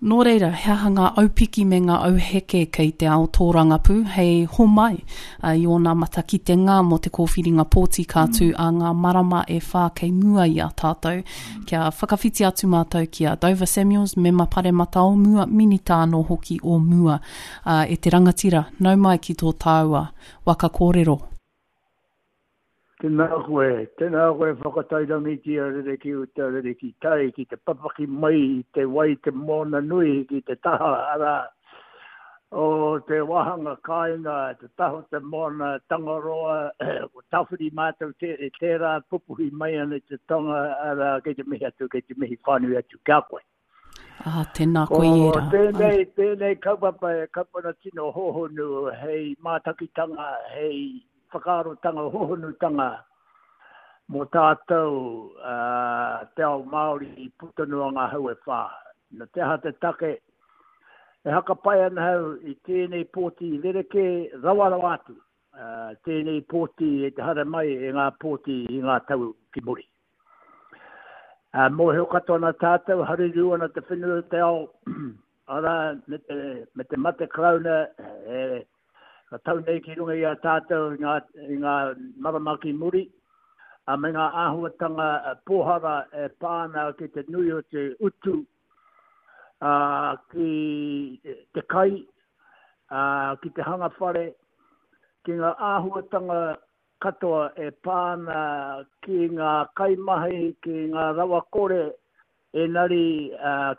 Nō reira, he aha ngā aupiki me ngā auheke kei te ao tōrangapū hei homai i ōna matakitenga mō te kōwhiringa pōti ka tū ā ngā marama e whā kei mua i a tātou? Kia whakawhiti atu mātou ki a Dover Samuels, mema paremata o mua, minita anō hoki o mua. Ā, e te rangatira, nau mai ki tō tāua waka kōrero. Tēnā koe, tēnā koe whakatairangitia rere ki uta, rere ki tai, ki te papaki mai i te wai te moana nui ki te taha, arā, o te wāhanga kāinga, te taha o te moana, Tangaroa, ko Tawhiri mātou te, tērā pupuhi mai ana i te tonga, arā, kei te mihi atu, kei te mihi whānui atu ki a koe. Ah, tēnā koe i ērā. Ko tēnei, tēnei kaupapa e kaupapa tino hōhonu hei mātakitanga, hei whakaarotanga hōhonutanga mō tātou uh, te ao Māori i puta noa ngā hau e whā. Na te aha te take, e hakapai ana hau i tēnei pōti rerekē rawa rawa atu. Uh, tēnei pōti e te hara mai e ngā pōti i ngā tau ki muri. Ā, mōhio katoa ana tātou, harirū ana te whenua o te ao, arā, me te, me te mate Karauna e, ka tau nei ki runga i a tātou i ngā, i ngā marama ki muri, ā, me ngā āhuatanga pōhara e pā ana ki te nui o te utu, ā, ki te kai, ā, ki te hanga whare, ki ngā āhuatanga katoa e pā ana ki ngā kaimahi, ki ngā rawakore, engari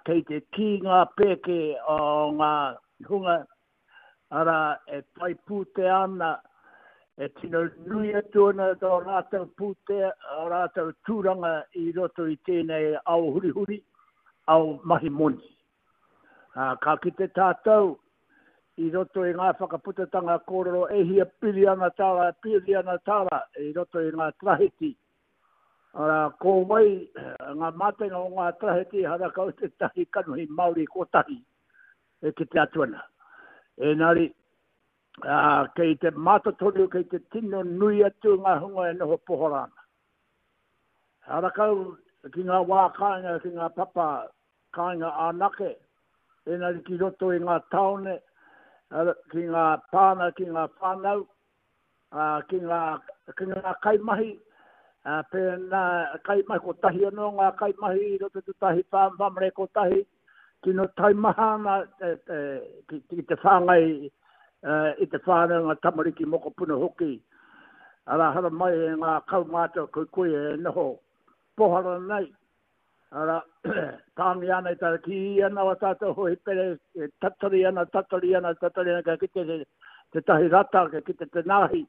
kei te kī ngā pēke o ngā hunga, arā, e whai pūtea ana, e tino nui atu ana tō rātou pūtea, ō rātou tūranga i roto i tēnei ao hurihuri, ao mahi moni. Ā, ka kite tātou i roto i ngā whakaputatanga kōrero e hia piriana tāra, piriana tāra i roto i ngā tarahiti. Arā, ko wai ngā mātenga o ngā tarahiti harakau tētahi kanohi Māori kotahi e kite atu ana. Engari, ā, kei te mātotoru, kei te tino nui atu ngā hunga e noho pohara ana. Harakau ki ngā wā kāinga, ki ngā papa kāinga anake, engari ki roto i ngā tāone, ki ngā pāna, ki ngā whānau, ki ngā, ki ngā kaimahi, pēnā kaimahi kotahi anō ngā kaimahi i roto tētahi whāmare kotahi, tino taimaha ana ki, ki te whāngai i te whānau ngā tamariki mokopuna hoki, arā haramai e ngā kaumātua koikoi e noho pohara nei, Arā, tāngi ana i tana kī ana o tātou hōhipere, e tatari ana, tatari ana, tatari ana, kia kite te, tētahi rata, kia kite te nāhi.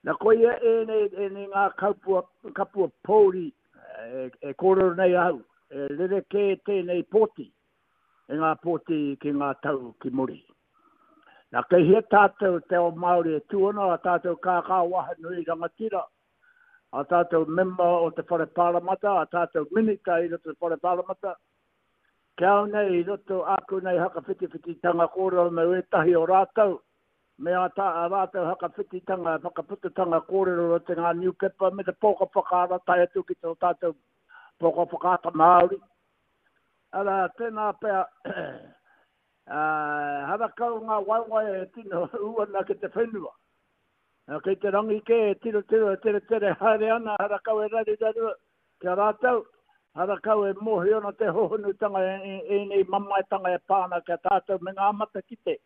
Na koia ēnei, ēnei ngā kaupua, kapua pōuri e, e kōrero nei ahau, e rerekē tēnei pōti, e ngā pōti ki ngā tau ki muri. Na kei hea tātou te ao Māori e tū ana, a tātou kākā wahanui rangatira, a tātou mema o te Whare Pāremata, a tātou minita i roto i te Whare Pāremata, ki au nei i roto āku nei hakawhitiwhititanga kōrero me wētahi o rātou, me ā tā, ā rātou hakawhititanga, whakaputatanga kōrero roto i ngā niupepa me te pōka whakaara tae atu ki tō tātou pōka whakaata Māori. Arā, tēnā pea, ā, harakau ngā waewae e tino ū ana ki te whenua. Kei te rangi kē e tirotiro, e teretere haere ana, harakau e raruraru ki a rātou, harakau e mōhio ana te hōhonutanga e ēnei mamaetanga e pā ana ki a tātou me ngā matakite,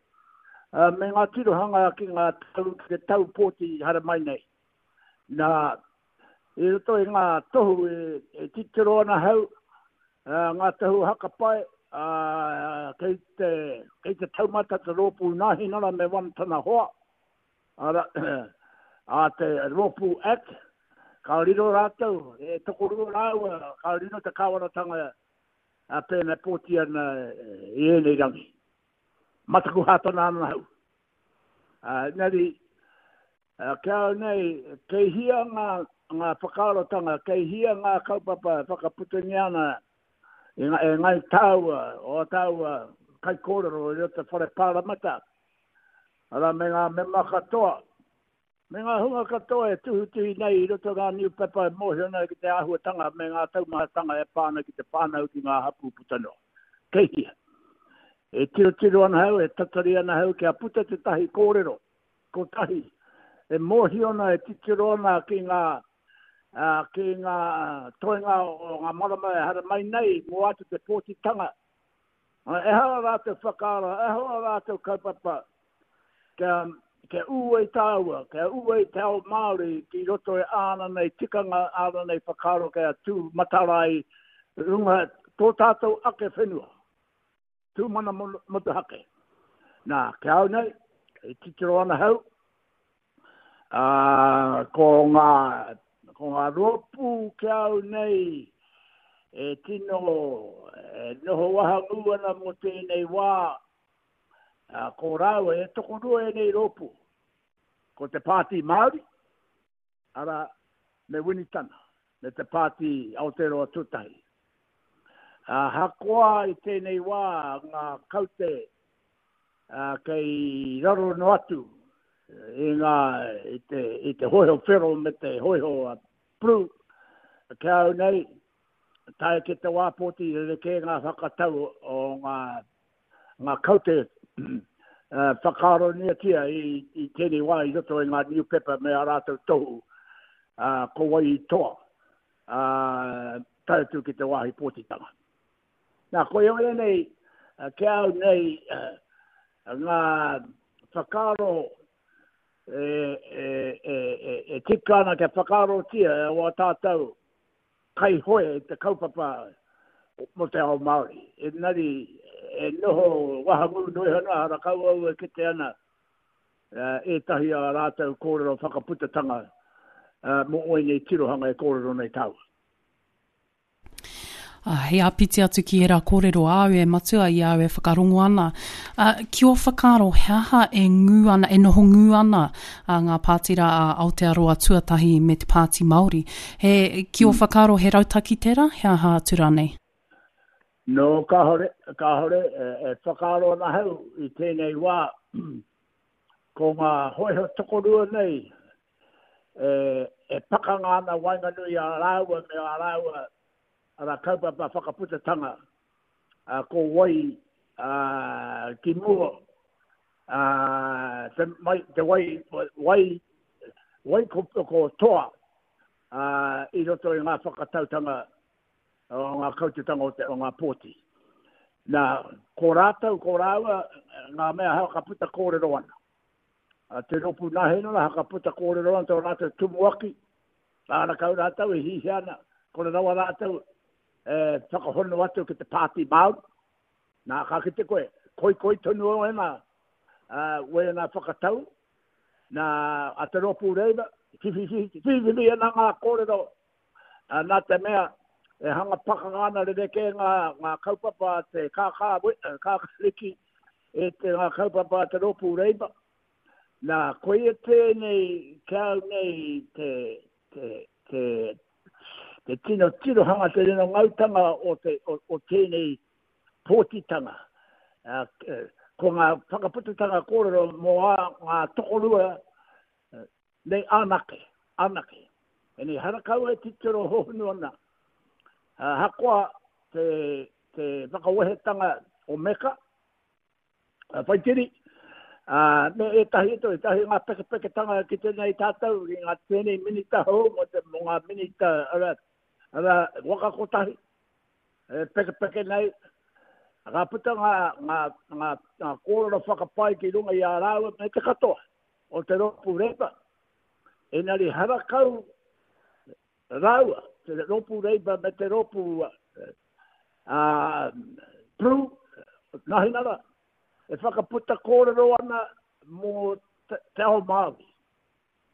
me ngā tirohanga ki ngā tau, ki te tau pōti i haere mai nei. Nā, i roto i ngā tohu e titiro ana hau, ngā tohu hakapae, kei te, kei te taumata te rōpū Nāhinara me one tana hoa, Arā, a te Rōpū Act, ka riro rātou, e tokorua rāua, ka riro te kāwanatanga a pēnā e pōti ana i ēnei rangi. Mataku hātana ana hau. Engari, ki a au nei, kei hia ngā, ngā whakaarotanga, kei hia ngā kaupapa e whakaputangia ana e, e ngai tāua, o tāua kaikōrero i roto whare pāramata, Arā, me ngā mema katoa, me ngā hunga katoa e tuhituhi nei i roto ngā niupepa e mōhio nei ki te āhuatanga me ngā taumahatanga e pā ana ki te whānau ki ngā hapū puta noa. Kei hea? E tirotiro ana au, e tatari ana au kia puta tētahi kōrero kotahi e mōhio ana, e titiro ana ki ngā, ki ngā toenga o ngā marama e haramai nei mō atu te pōtitanga. Ehara rātou whakaaro, ehara rātou kaupapa kia, kia ū ai tāua, kia ū ai te ao Māori ki roto i āna nei tikanga, āna nei whakaaro kia tū matara ai runga tō tātou ake whenua, tū mana motuhake. Nā, ki a au nei, e titiro ana hau, ā, ko ngā, ko ngā rōpū ki a au nei e tino e noho wahangū ana mō tēnei wā, Ā, ko rāua, e tokorua ēnei rōpū, ko te Pāti Māori, arā, me Winitana, me te Pāti Aotearoa Tuatahi. Ahakoa i tēnei wā ngā kaute ā, kei raro noa atu i ngā, i te, i te hōiho whero me te hōiho pru, ki a au nei, tae ki te wā pōti rerekē ngā whakatau o ngā ngā kaute whakaaroniatia i tēnei wā i roto i ngā niupepa me ā rātou tohu ko wai i toa tae atu ki te wāhi pōtitanga. Nā, koia ēnei, ki a au nei, ngā whakaaro e tika ana kia whakaarotia e wā tātou kaihoe i te kaupapa mō te ao Māori. Engari, e noho wahangū noa iho ana, harakau au e kite ana ētahi a rātou kōrero whakaputatanga mō ēnei tirohanga e kōrero nei tāua. Ā, hei āpiti atu ki ērā kōrero āu e Matua i a au e whakarongo ana, ā, ki ō whakaaro he aha e ngū ana, e noho ngū ana a ngā pātira a Aotearoa Tuatahi me te Pāti Māori? He, ki ō whakaaro he rautaki tērā, he aha atu rānei? No, kāore, kāore, e whakaaro ana ahau i tēnei wā, ko ngā hōiho tokorua nei e, e pakanga ana waenganui i a rāua me ā rāua ara kaupapa whakaputatanga, ā, ko wai ā, ki mua, ā, te, mai, te wai, wai, wai ko, ko toa ā, i roto i ngā whakatautanga o ngā kautetanga o, te, o ngā pōti. Nā, ko rātou, ko rāua, ngā mea whakaputa kōrero ana. A te rōpū Nāhinara whakaputa kōrero ana tō rātou tumuaki, āna kau rātou e hihia ana, kore rawa rātou e whakahono atu ki te Pāti Māori. Nā, ka kite koe, koikoi tonu o ēnā, wēnā whakatau, nā, a te rōpū Labour, whiwhiwhi ana ngā kōrero, nā te mea, e hanga pakanga ana rerekē ngā, ngā kaupapa a te kākā, kākāriki, e te ngā kaupapa a te rōpū Labour. Nā, koia tēnei, ki a au nei, te, te, te, te tino tirohanga, te tino ngautanga o, te, o, o tēnei pōtitanga. Ko ngā whakaputatanga kōrero mō ā, ngā tokorua nei anake, anake. Engari harakau e titiro hohonu ana, ahakoa te, te whakawehetanga o Meka, Whaitiri, ā, me ētahi atu, ētahi ngā pekepeketanga ki tēnei tātou, ki ngā tēnei minita hou, mō te, mō ngā minita, arā, arā, waka kotahi, e pekepeke nei, ka puta ngā, ngā, ngā, ngā kōrero whakapae ki runga i a rāua me te katoa o te rōpū Labour. Engari harakau rāua, te rōpū Labour me te rōpū uh, Pru, Nahinara, e whakaputa kōrero ana mō te, te ao Māori,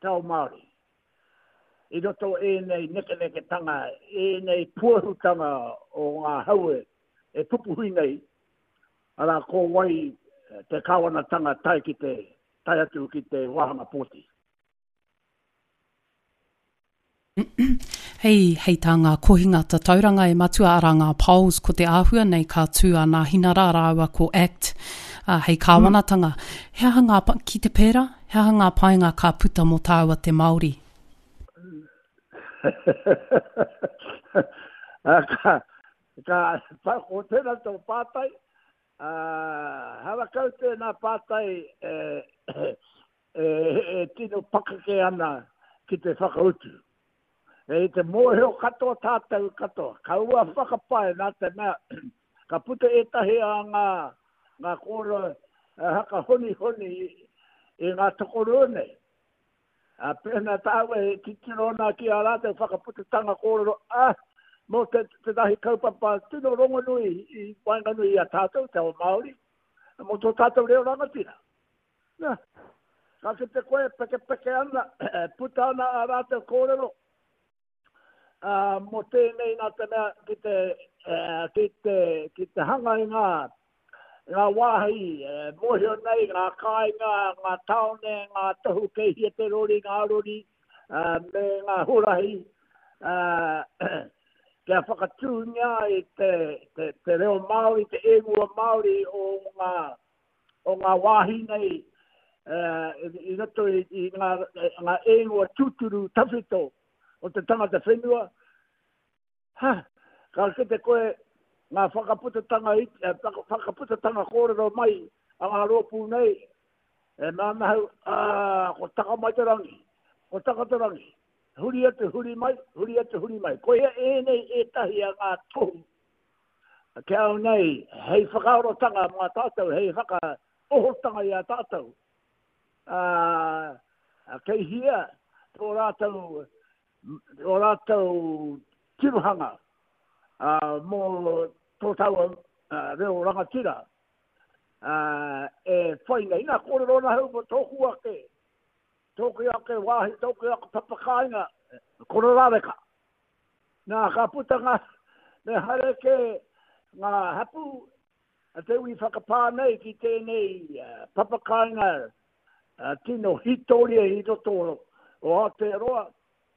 te ao Māori. I roto ēnei nekeneketanga, ēnei puahutanga o ngā haue e pupuhi nei, arā ko wai te kāwanatanga tae ki te, tae atu ki te wāhanga pōti. Hei, hei tā ngā kohinga tatauranga e matua arā ngā polls ko te āhua nei ka tū a Nāhinara rāua ko Act uh, hei kāwanatanga. He aha ngā, ki te pērā, he aha ngā painga ka puta mō tāua te Māori? ka, Ka, ko tēnā tō pātai, ā, harakau tēnā pātai e, e, e tino pakeke ana ki te whakautu. E te mōhio katoa tātou katoa, kaua whakapae nā te mea ka puta ētahi a ngā, ngā kōrero haka honihoni i ngā tokorua nei. Ā, pēnā tāua e titiro ana ki ā rātou whakaputatanga kōrero, ā, mō te, tētahi kaupapa tino rongonui i waenganui i a tātou, te ao Māori, mō tō tātou reo rangatira. Nā, ka kite koe pekepeke ana, puta ana ā rātou kōrero, ā, mō tēnei nā te mea ki te, ki te, ki te hanga i ngā, ngā wāhi e mōhio nei, ngā kāinga, ngā tāone, ngā tohu kei hia te rori, ngā rori, ā, me ngā huarahi, ā, kia whakatūngia ai te, te, te reo Māori, te ingoa Māori o ngā, o ngā wāhi nei i roto i ngā, ngā ingoa tūturu tawhito o te tangata whenua, ha, ka kite koe ngā whakaputatanga, whakaputatanga kōrero mai a ngā rōpū nei, e mea ana hau, ā, ko taka mai te rangi, ko taka te rangi, huri atu, huri mai, huri atu, huri mai. Koia ēnei ētahi a ngā tohu Ki au nei, hei whakaarotanga mā tātou, hei whakaohotanga i a tātou, ā, kei hia tō rātou, tō rātou tirohanga ā, mō tō tāua reo rangatira ā, e whai nei. Nā, kōrero ana au mō tōku ake, tōku ake wāhi, tōku ake papakāinga, Kororāreka. Nā, ka puta ngā, me haere kē ngā hapū a te iwi whakapā nei ki tēnei papakāinga tino hītoria i roto o Aotearoa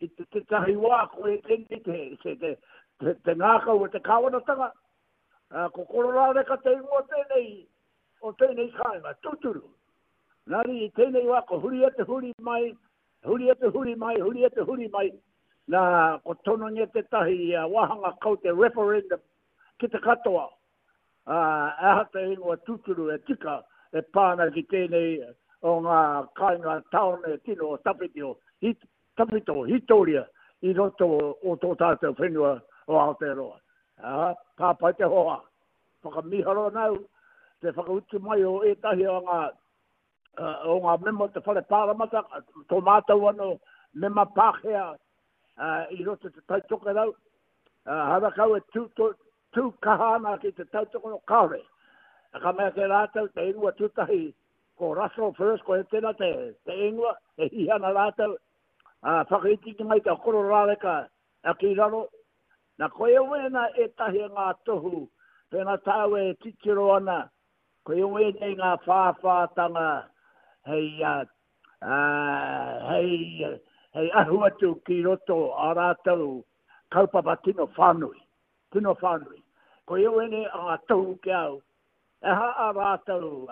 i te tētahi wā ko e tēnei te, te, te, te, te ngākau o te kāwanatanga, ko Kororāreka te ingoa tēnei o tēnei kāinga, tūturu. Nāri i tēnei wā ko huri atu huri mai, Huri atu, huri mai, huri atu, huri mai, nā, ko tonongia tētahi wāhanga kaute referendum ki te katoa, ā, he aha te ingoa tūturu e tika e pā ana ki tēnei o ngā kāinga tāone tino tawhito, tawhito, hītoria i roto o tō tātou whenua o Aotearoa. Ā, ka pai te hoa. Whakamīharo ana au te whakautu mai o ētahi o ngā o ngā mema o te Whare Pāremata, tō mātou anō mema Pākehā i roto i te Tai Tokerau, harakau e tū, tū, tū kaha ana ki te tautoko, kāore. Ka mea kē rātou te ingoa tūtahi ko Russell First, ko tēnā te, te ingoa, e hihi ana rātou, uh, whakaititi mai te kororāreka ki raro. Nā, koia wēnā ētahi o ngā tohu, pēnā tāu e titiro ana Koia wēnei ngā whāwhātanga hei, hei, hei ahu atu ki roto a rātou kaupapa tino whānui, tino whānui. Koia wēnei ngā tohu ki au, e aha a rātou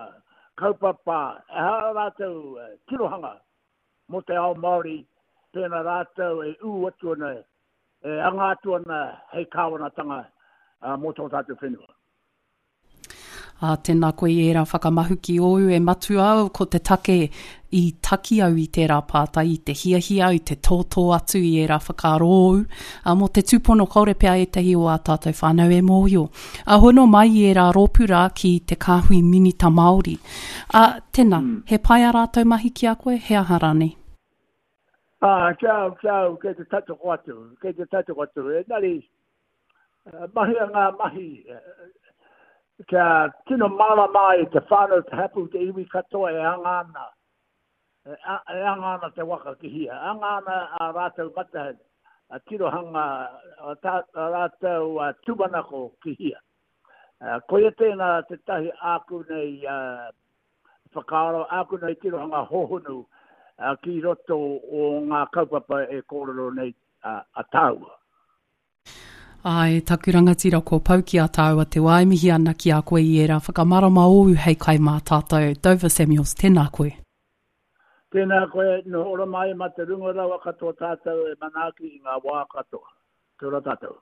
kaupapa, e aha a rātou tirohanga mō te ao Māori, pēnā rātou e ū atu ana, e anga atu ana hei kāwanatanga mō tō tātou whenua. Ā, tēnā koe i ērā whakamahuki ōu e matua au, ko te take i taki au i tērā pātai, i te hiahia au te tōtō atu i ērā whakaaro ōu, ā, mō te tūpono kāore pea ētahi o ā tātou whānau e mōhio. Ā, hono mai i ērā rōpū rā ki te kāhui minita Māori. Ā, tēnā, he pai ā rātou mahi ki a koe, he aha rānei? Ā, ki a au, ki a au, kei te tautoko atu, kei te tautoko atu, engari, Mahia ngā mahi kia tino mārama ai te whānau, te hapū, te iwi katoa e anga ana, e anga ana te waka ki hia. Anga ana ā rātou mata, tirohanga, ā rātou tūmanako ki hia. Koia tēnā tētahi āku nei whakaaro, āku nei tirohanga hōhonu ki roto o ngā kaupapa e kōrero nei a tāua. Āe, taku rangatira kua pau ki a tāua te wā e mihi ana ki a koe i ērā whakamarama ōu hei kai mā tātou. Dover Samuels, tēnā koe. Tēnā koe, noho ora mai mā te runga rawa katoa tātou e manaaki i ngā wā katoa. Kia ora tātou.